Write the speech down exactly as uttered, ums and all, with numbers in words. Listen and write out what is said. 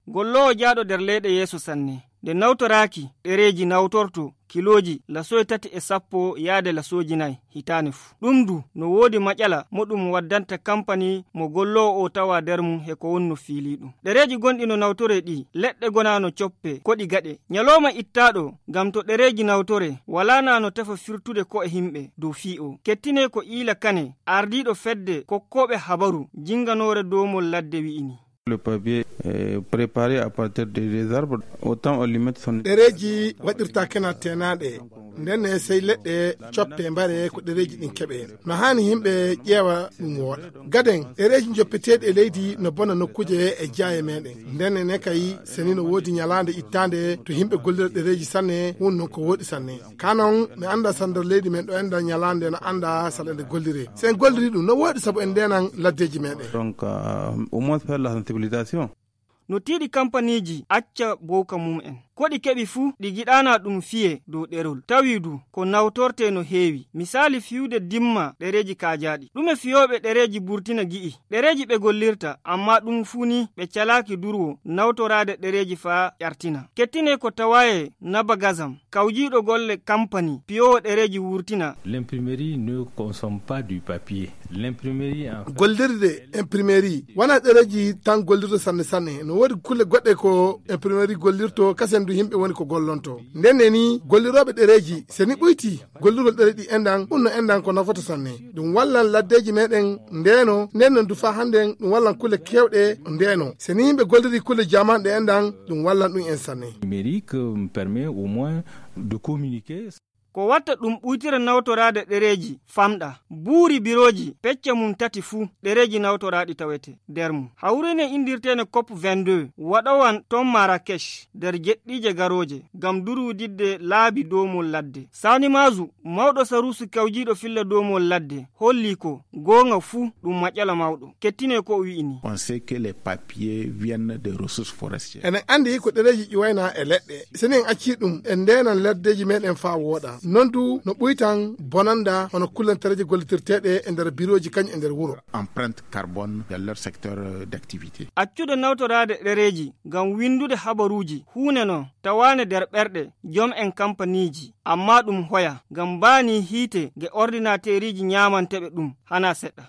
Golloowo jaaɗo nder leyɗe yeeso sanne. Nde nawtoraaki, ɗereeji nawtorto kilooji lasoy tati e sappo yaade lasooji nay hitaande fuu. Ɗum du no woodi maƴala mo ɗum waddanta kampani mo golloowo o tawa nder mum he ko wonno fiili ɗum. Ɗereeji gonɗi no nawtoree ɗi, leɗɗe gonaa no coppe, ko ɗi gaɗe. Ñalooma ittaaɗo ngam to ɗereeji nawtoree, walaa naa no tefa firtude ko e himɓe dow fii o. Kettinee ko Iila Kane, ardiiɗo fedde kokkooɓe habaru jinganoore doomol ladde wi'ini. Le papier est préparé à partir des, des arbres. Autant on lui met son... Ɗereeji waɗirta kena teenaaɗe. Nden ne sey leɗɗe coppe mbare ko ɗereeji ɗin keɓe. No haani yimɓe ƴeewa ɗum wooɗa. Gaden, ɗereeji njoppeteeɗi e leydi no bona nokkuuje e jaaye meɗen. Nden ne kay, seni no woodi ñalaande ittaande to yimɓe gollira ɗereeji sanne, won non ko wooɗi sanne. Kanon, mi annda sandar leydi men ɗo enda ñalaande no annda sala nde gollire. Si en golliri ɗum, no wooɗi sabu en ndeenan laddeeji meɗen. Donc, euh, au moins faire la sensibilisation. No tiiɗi kampaniiji acca bowka mum en. Ko ɗi keɓi fuu, ɗi giɗaana ɗum fiye dow ɗerol. Tawi du, ko nawtorte no heewi. Misaali fiyude dimma ɗereeji kaajaaɗi. Ɗume fiyooɓe ɗereeji Burtina gi'i? Ɗereeji ɓe gollirta, amma ɗum fuu ni ɓe calaaki durwo nawtoraade ɗereeji faa ƴartina. Kettine ko tawaye Naba Gazam, kawjiiɗo golle kampani piyoowo ɗereeji wurtina. L'imprimerie ne consomme pas du papier. L'imprimerie en fait... Gollirde imprimerie wona ɗereeji tan gollirta sanne sanne. No woodi kulle goɗɗe ko imprimerie gollirto, kasen du yimɓe woni ko gollonto. Nden ne ni gollirooɓe ɗereeji, se ni ɓuyti gollirgol ɗereeji ɗi endan, ɗum no endan ko nafata sanne. Ɗum wallan laddeeji meɗen ndeeno, nden non du faa hannden ɗum wallan kulle keewɗe ndeeno. Se ni yimɓe golliri kulle jamanɗe endan, ɗum wallan ɗum en sanne. Numérique, euh, permet au moins de communiquer. Ko watta ɗum ɓuytira nawtoraade ɗereeji famɗa. Buuri birooji pecce mum tati fuu, ɗereeji nawtoraaɗi tawete nder mum. Hawrine indirteene cop vingt-deux, waɗowan ton Marrakech nder jeɗɗiije garooje ngam durwididde laabi doomol ladde. Sani Mazu, mawɗo saruusu kawjiiɗo filla doomol ladde, holli ko goonga fuu ɗum maƴala mawɗo. Kettine ko o wi'ini. On sait que les papiers viennent des ressources forestières. Enen anndi ko ɗereeji ƴuwayna e leɗɗe. Si en acci ɗum, en ndeenan laddeeji meɗen faa wooɗa. Non du no ɓuytan bonanda hono kullantareeji gollitirteeɗe e nder birooji kañum e nder wuro. Empreinte carbone dans leur secteur, euh, d'activité. Accude nawtoraade ɗereeji ngam winndude habaruuji huunde non tawaande nder ɓerɗe jom en kampaniiji, amma ɗum hoya ngam mbaani hiite nge ordinateeriiji ñaamanteeɓe ɗum hana seɗɗa.